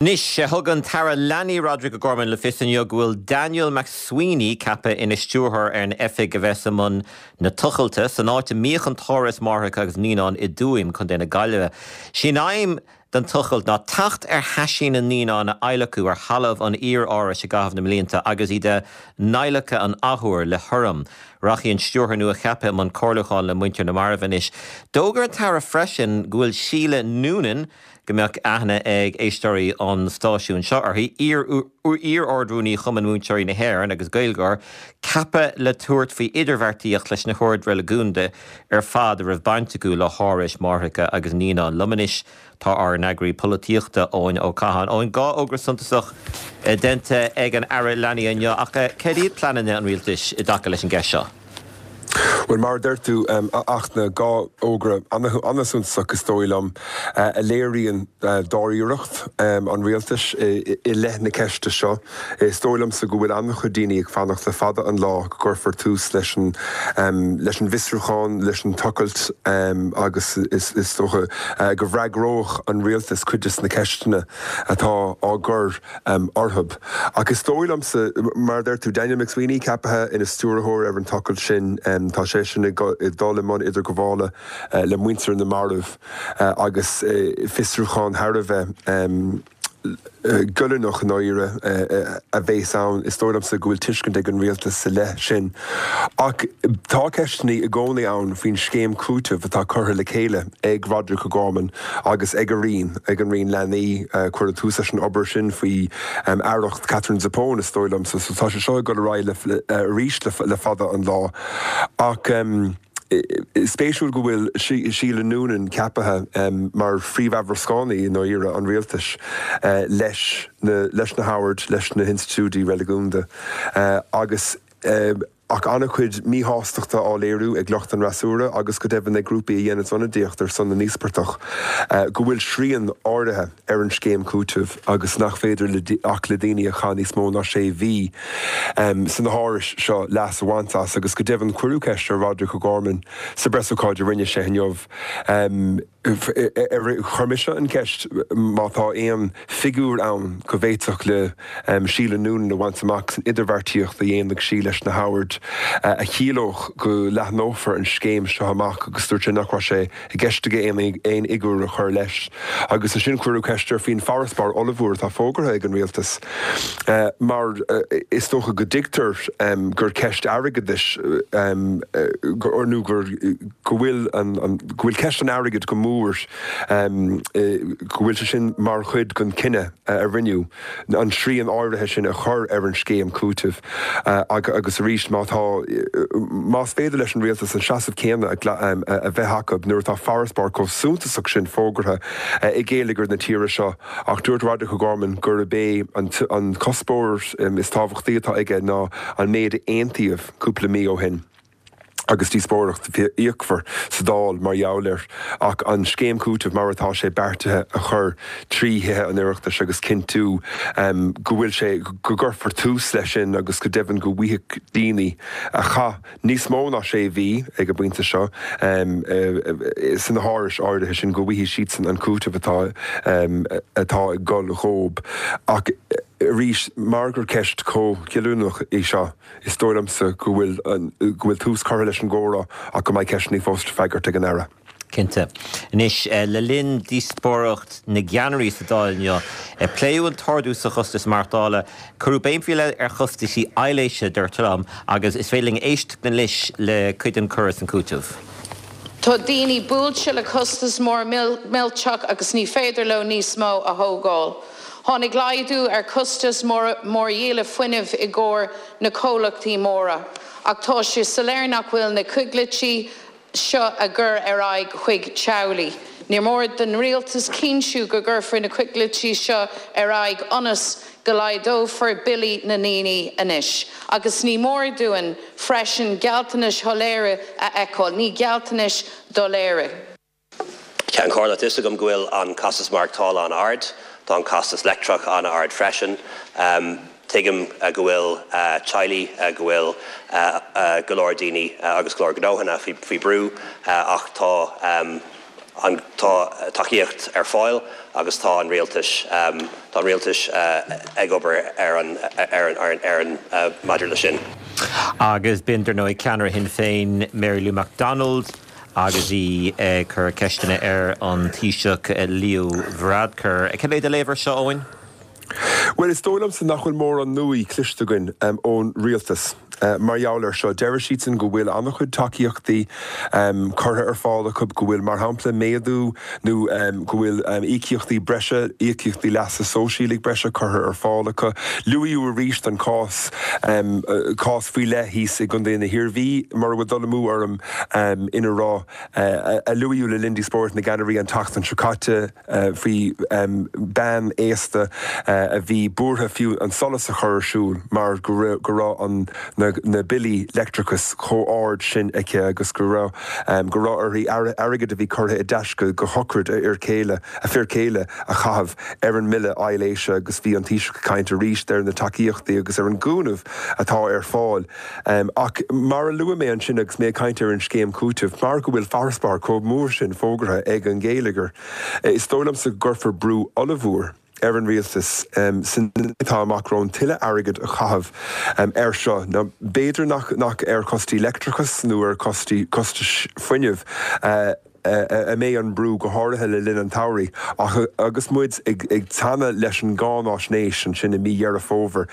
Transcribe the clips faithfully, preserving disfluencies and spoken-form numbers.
Anois, thug an tAire Leanaí Roderic O'Gorman le fios inniu go bhfuil Daniel McSweeney ceaptha ina stiúrthóir ar an oifig a bheas i mbun na tochailte san áit a mbíodh an tÁras Máithreacha agus Naíonán i dTuaim, Contae na Gaillimhe. Sí an aidhm den tochailt ná teacht ar thaisí na naíonán a adhlacadh ar thalamh an iar-árais i gcaitheamh na mblianta agus iad a n-adhlacadh an athuair le hurraim. Rachaidh an stiúrthóir nua-cheaptha i mbun comhairliúcháin le muintir na marbh anois. D'fhógair an tAire freisin go bhfuil Síle Noonan, go mbeadh aithne ag éisteoirí an stáisiúin seo uirthi, iar-Ard-Rúnaí Chumann Múinteoirí na hÉireann agus Gaeilgeoir, ceaptha le tabhairt faoi idirbheartaíocht leis na hoird reiligiúnda ar fad a raibh baint acu le hárais máithreacha agus naíonán. Liom anois tá ár n-eagraí polaitíochta Eoin Ó Catháin. Eoin, dhá fhógra suntasach déanta ag an Aire Leanaí inniu, ach céard iad pleananna an rialtais i dtaca leis an gceist seo? Bhuel, mar a deir tú, a Fhachtna, dhá fhógra an-suntasach is dóigh liom, a léiríonn dáiríreacht an rialtais i leith na ceiste seo. Is dóigh liomsa go bhfuil an-chuid daoine ag fanacht le fada an lá go gcuirfear tús leis an leis an bhfiosrúchán, leis an tochailt agus is dócha go bhfreagródh an rialtas cuid de na ceisteanna atá á gcur orthu. Ach is dóigh liomsa, mar a deir tú, Daniel McSweeney ceaptha ina stiúrthóir ar an tochailt sin, tá seisean ag dul i mbun idirghabhála le muintir na marbh agus fiosrúchán thar a bheith goilliúnach i ndáiríre a bheas ann. Is dóigh liomsa go bhfuil tuiscint ag an rialtas sa leith sin. Ach tá ceisteanna i gcónaí ann faoin scéim cúitimh atá curtha le chéile ag Roderic O'Gorman agus ag a Roinn, ag an Roinn Leanaí. Cuireadh tús leis an obair sin faoi aireacht Katherine Zappone, is dóigh liomsa. So tá sé seo ag dul ar aghaidh arís le fada an lá. Ach spéisiúil go bhfuil Síle Noonan ceaptha mar phríomh-aimhreascánaí i ndáiríre an rialtais leis na leis na hoird, leis na hinstitiúidí reiligiúnda agus ach an-chuid míshástachta á léiriú ag lucht an fhreasúra agus go deimhin ag grúpaí a dhéanann ionadaíocht ar son na n-íospartach go bhfuil srian áirithe ar an scéim cúitimh agus nach féidir ach le daoine a chaith níos mó ná sé mhí sna hárais seo leas a bhaint as agus go deimhin cuireadh ceist ar Roderic O'Gorman sa bpreasócáid a rinne sé inniu. Chuir mise an cheist má tá aon figiúr ann go bhféadfadh le Síle Noonan a bhaint amach san idirbheartaíocht a dhéanfaidh sí leis na hoird a chiallódh go leathnófar an scéim seo amach agus dúirt sé nach raibh sé i gceist aige aon fhigiúr a chur leis. Agus ansin cuireadh ceist air faoin bhfarasbarr ollmhór atá fógartha ag an rialtas mar is dócha go dtuigtear gur ceist airgeadais nó gur go bhfuil go bhfuil ceist an airgid go mór go bhfuil sé sin mar chuid den chinneadh a rinneadh an srian áirithe sin a chur ar an scéim cúitimh agus arís má tá más féidir leis an rialtas an seasamh céanna a bheith acu nuair atá farasbarr chomh suntasach sin fógartha i ngeilleagar na tíre seo ach dúirt Roderic O'Gorman gurb é an cuspóir is tábhachtaí atá aige ná an méid a aontaíodh cúpla mí ó shin. agus díospóireacht fhíochmhar sa Dáil mar gheall air, ach an scéim cúitimh mar atá sé beartaithe a chur trí Thithe an Oireachtais agus cinntiú go bhfuil sé, go gcuirfear tús leis sin agus go deimhin go bhfaighidh daoine a chaith níos mó ná sé mhí ag an bpointe seo sna hárais áirithe sin, go bhfaighidh siadsan an cúiteamh atá atá ag dul dhóibh. Ach arís, mar gur ceist chomh cinniúnach í seo, Is dóigh liomsa go bhfuil go bhfuil tús curtha leis an gcomhrá ach go mbeidh ceisteanna fós le freagairt ag an Aire. Cinnte. Anois, le linn díospóireacht na gceannairí sa Dáil inniu, pléadh an t-ardú sa chostas maireachtála. Cuireadh béim faoi leith ar chostaisí aibhléise, deirtear liom, agus is féidir linn éisteacht anois le cuid den chur is an cúiteamh. Tá daoine buailte le costas mór millteach agus ní féidir leo níos mó a thógáil. Tháinig laghdú ar chostas mórdhíola fuinnimh i gcomhair na comhlachtaí móra, ach tá sé soiléir nach bhfuil na coigiltí seo á gcur ar aghaidh chuig teaghlaigh. Ní mór don Rialtas cinntiú go gcuirfear na coigiltí seo ar aghaidh ionas go laghdófar billí na ndaoine anois. Agus ní mór dúinn freisin gealltanais shoiléire a fheiceáil, ní gealltanais doiléire. Ceann Comhairle, tá fhios agam go bhfuil an costas maireachtála an-ard, tá an costas leictreach an-ard freisin. Tuigim go bhfuil teaghlaigh, go bhfuil go leor daoine agus go leor gnóthanna faoi brú ach tá an tá tacaíocht ar fáil agus tá an rialtas um, tá an rialtas uh, ag obair ar an ar an ar an, ar an uh, maidir le sin. Agus b'in dar ndóigh ceannaire Shinn Féin Mary Lou McDonald agus í ag cur ceisteanna ar an Taoiseach Leo Varadkar. Cé mhéad a léir seo Eoin? Well is dóigh liomsa nach bhfuil mórán nua cloiste againn um, ón rialtas. Uh, mar gheall air seo deir siadsan go bhfuil an-chuid tacaíochtaí um, curtha ar fáil acu go bhfuil mar shampla méadú nó um, go bhfuil um, íocaíochtaí breise íocaíochtaí leasa sóisialaigh breise curtha ar fáil acu. Luadh arís an cás um, uh, cás faoi leith thíos i gContae na hIarmhí mar bhfuil dul amú orm um, ina rá uh, a luadh le linn díospóireacht na gceannairí an tseachtain seo caite uh, faoi um, bean aosta uh, a bhí buartha fiú an solas a chur ar siúl mar go raibh an na, na billí leictreachais chomh hard sin aici agus go raibh um, go raibh uirthi airgead a bhí curtha i dtaisce go shochraid a fhear céile a fear céile a chaitheamh ar an mbille aibhléise agus bhí an Taoiseach ag caint arís ar na tacaíochtaí agus ar an gcúnamh atá ar fáil. Um, ach mar a luaigh mé ansin agus mé ag caint ar an scéim cúitimh, mar go bhfuil farasbarr chomh mór sin fógartha ag an gheilleagar. Is dóigh liomsa go gcuirfear brú ollmhór ar an rialtas um, sin atá amach romhainn tuilleadh airgead a chaitheamh um, ar seo. Ná b'fhéidir nach, nach ar chostais leictreachais nó ar chostais costais fuinnimh. Uh, a mbeidh an brú go háirithe le linn an tsamhraidh ach agus muid ag, ag teannadh leis an gcáinaisnéis ansin i mí Dheireadh Fómhair.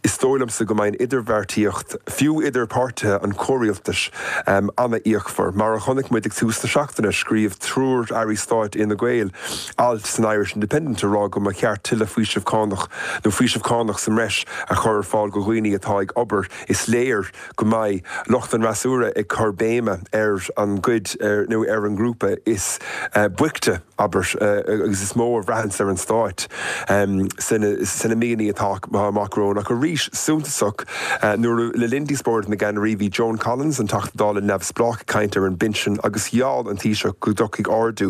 Is dóigh liomsa go mbeidh idirbheartaíocht fiú idir páirtithe an chomhrialtais um, an-fhíochmhar. Mar a chonaic muid ag tús na seachtaine scríobh triúr airí stáit Fhine Gael alt san Irish Independent a rá go mba cheart tuilleadh faoiseamh cánach nó faoiseamh cánach sa mbreis a chur ar fáil go dhaoine atá ag obair is léir go mbeidh lucht an fhreasúra ag cur béime ar an gcuid nó ar an grúpa is uh, boichte abair uh, agus is mó a bhraitheann ar an stát um, sna míonna atá amach romhainn ach arís suntasach uh, nuair le linn díospóireacht na gceannairí bhí Joan Collins an Teachta Dála neamhspleách ag caint ar an bpinsean agus gheall an Taoiseach go dtiocfaidh ardú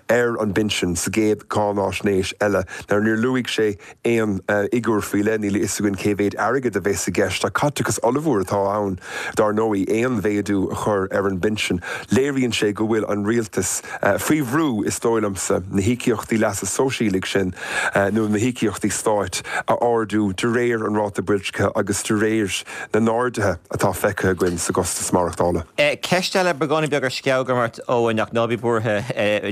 ar an bpinsean sa gcéad cáinaisnéis eile nar níor luaigh sé aon uh, fhigiúr faoi leith níl a fhios againn cé mhéad airgead a bheas i gceist ach caiteachas ollmhór atá ann dar ndóigh aon mhéadú a chur ar an bpinsean. Léiríonn sé go bhfuil an rialtas uh, faoi bhrú is dóigh liomsa na híocaíochtaí leasa sóisialaigh sin uh, nó na híocaíochtaí stáit a ardú de réir an ráta boilscithe agus de réir na n-arduithe atá feicthe againn sa gcostas maireachtála. Ceist eile beagáinín beag ar sceabh ort ó nach ná bí buartha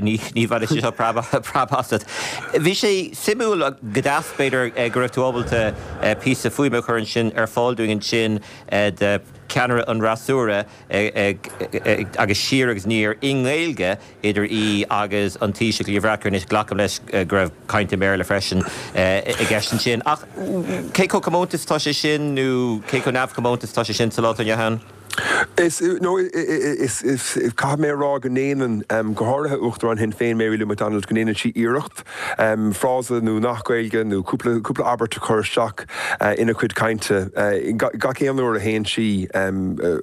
ní bheidh sé preab asat. Bhí sé suimiúil go deas b'fhéidir go raibh tú ábalta píosa fuaime a chur ansin ar fáil dúinn ansin de ceannaire an fhreasúra agus siar agus aniar i nGaeilge idir í agus an Taoiseach Leo Varadkar anois glacaim leis go raibh caint i mBéarla freisin i gceist ansin. Ach cé chomh comónta is atá sé sin nó cé chomh neamhchomónta is atá sé sin sa lá inniu ann? Is no is is caithfidh mé rá go ndéanann um, go háirithe Uachtarán Shinn Féin Mary Lou McDonald go ndéanann sí iarracht um, frása nó nath Gaeilge nó cúpla cúpla abairt a chur isteach uh, ina cuid cainte uh, gach aon uair a théann sí um, uh,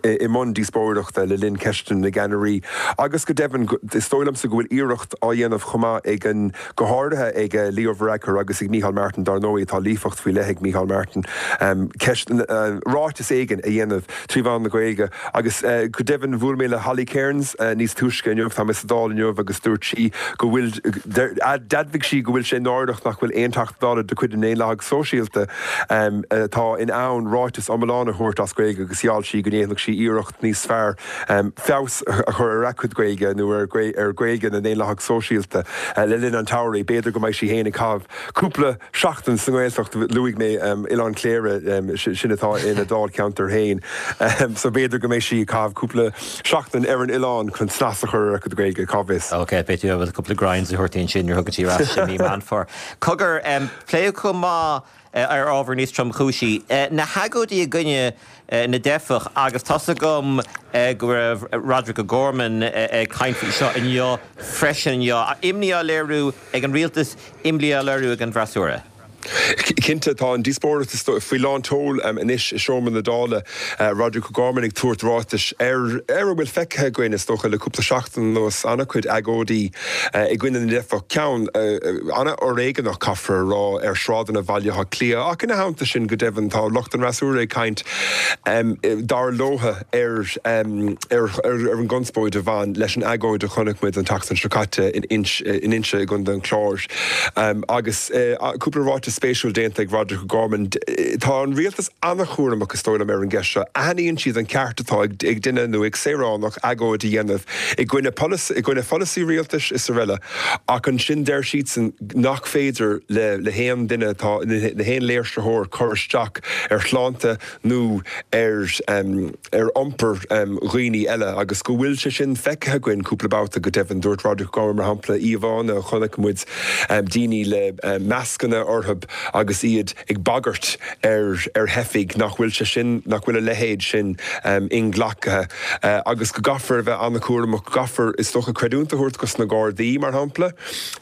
i mbun díospóireachta le linn ceisteanna na gceannairí. Agus go deimhin is dóigh liomsa go bhfuil iarracht á dhéanamh chomh maith ag an go háirithe ag Leo Varadkar agus ag Micheál Martin dar ndóigh tá líofacht faoi leith ag Micheál Martin um, ceist uh, ráiteas éigin a dhéanamh trí mheán na Gaeilge agus uh, go deimhin bhuail mé le Holly Cairns uh, níos túisce inniu tá sa Dáil inniu agus dúirt sí go bhfuil d'admhaigh sí go bhfuil sé náireach nach bhfuil aon Teachta Dála de chuid na nDaonlathaigh Sóisialta um, atá in ann ráiteas iomlán a thabhairt as Gaeilge agus gheall sí go ndéanfadh sí iarracht níos fearr um, feabhas a chur ar a cuid Gaeilge nó ar ar Ghaeilge na nDaonlathach Sóisialta uh, le linn an tsamhraidh b'fhéidir go mbeidh sí féin ag caitheamh cúpla seachtain sa nGaeltacht luaigh mé um, Oileán Cléire um, sin atá ina dáilcheantar féin. Um, so b'fhéidir go mbeidh sí ag caitheamh cúpla seachtain ar an oileán chun snas a chur ar a cuid Gaeilge cá bhfios. Ok, beidh tú bhfuil cúpla grinds a thabhairt sin ar thug ras mí Meán Cogar um, pléadh chomh maith ar ábhar níos tromchúisí. Na hagóidí i gcoinne na dteifeach agus tá a fhios agam go raibh Roderick O'Gorman ag caint faoi seo inniu freisin inniu. Imní á léiriú ag an rialtas imní á léiriú ag an bhfreasúra. Cinnte tá an díospóireacht faoi lán tseoil anois i seomra na Dála Roderic O'Gorman ag tabhairt ráitis ar ar a bhfuil feicthe againn is dócha le cúpla seachtain anuas an-chuid agóidí i gcoinne na dteifeach ceann an-fhoréigeanach caithfear a rá ar shráideanna Bhaile Átha Cliath ach ina theannta sin go deimhin tá lucht an fhreasúra ag caint dar leo ar ar ar an gconspóid a bhain leis an agóid a chonaic muid an tseachtain seo caite in in Inse i gContae an Chláir agus cúpla ráiteas spéisiúil déanta ag Roderic O'Gorman. Tá an rialtas an-chúramach is dóigh liom ar an gceist seo. Aithníonn siad an ceart atá ag duine nó ag saoránach agóid a dhéanamh i gcoinne i gcoinne pholasaí rialtais is araile ach ansin deir siadsan nach féidir le le haon duine atá le haon léirsitheoir cur isteach ar shláinte nó ar um, ar iompar um, dhaoine eile agus go bhfuil sé sin feicthe againn cúpla babhta go deimhin dúirt Roderic O'Gorman mar shampla íomhánna a chonaic muid um, daoine le um, mascanna orthu agus iad ag bagairt ar ar theifigh nach bhfuil sé sin nach bhfuil a leithéid sin um, inghlactha uh, agus go gcaithfear a bheith an-chúramach gcaithfear is dócha creidiúint a thabhairt dos na Gardaí mar shampla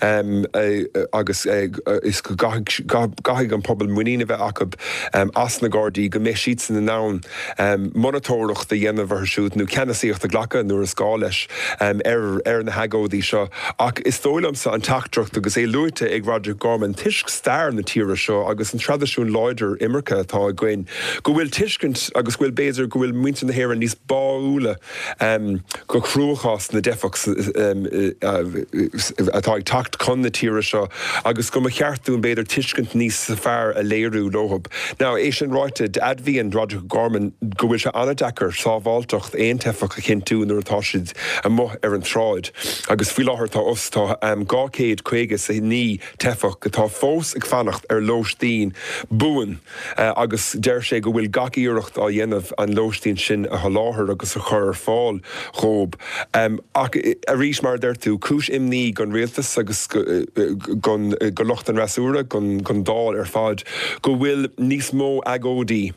um, uh, agus uh, is go gcaithfidh an pobal muinín a bheith acu um, as na Gardaí go mbeidh siad in ann um, monatóireacht a dhéanamh orthu siúd nó ceannasaíocht a ghlacadh nuair is gá leis um, ar ar na hagóidí seo ach is dóigh liomsa an teachtaireacht agus é luaite ag Roderic O'Gorman toisc stair na tíre seo agus an traidisiún láidir imirce atá againn go bhfuil tuiscint agus bhfuil b'fhéidir go bhfuil muintir na hÉireann níos báúla um, go cruachás na dteifeach um, uh, atá ag teacht chun na tíre seo agus go mba cheart dúinn b'fhéidir tuiscint níos fearr a léiriú leo. Now é sin ráite d'admhaigh Roderic O'Gorman go bhfuil sé an-deacair sábháilteacht aon teifeach a chinntiú nuair atá siad amuigh ar an tsráid. agus faoi láthair tá os tá um, dhá chéad caoga is a naoi teifeach atá fós ag fanacht ar lóistín buan uh, agus deir sé go bhfuil gach iarracht á dhéanamh an lóistín sin a sholáthar agus a chur ar fáil dóibh. Um, ach arís mar deir tú cúis imní don rialtas agus don go lucht an fhreasúra don don Dáil ar fad go bhfuil níos mó agóidí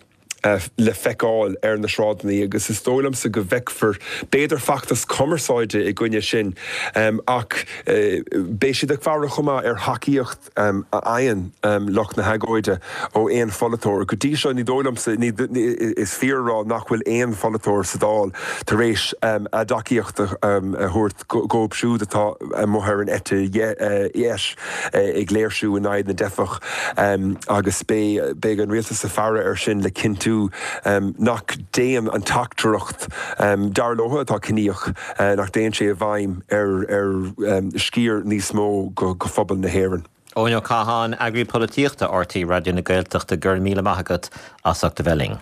Uh, le feiceáil ar na sráideanna agus is dóigh liomsa go bhfeicfear b'fhéidir feachtas cumarsáide i gcoinne sin um, ach uh, beidh siad ag faire chomh maith ar thacaíocht um, a fhaigheann um, lucht na hagóide ó aon pholaiteoir. Go dtí seo ní dóigh liomsa is fíor a rá nach bhfuil aon pholaiteoir sa Dáil tar éis um, a dtacaíocht um, a thabhairt dóibh siúd atá amuigh ar an eite dheis uh, ag léirsiú in aghaidh na dteifeach um, agus beidh an rialtas ag faire ar sin le cinntiú um, nach dtéann an teachtaireacht um, dar leo atá ciníoch uh, nach dtéann sé i bhfeidhm ar ar um, sciar níos mó go, go phobal na hÉireann. Eoin Ó Catháin, eagraí polaitíochta RTÉ Raidió na Gaeltachta go raibh míle maith agat as ucht a bheith linn.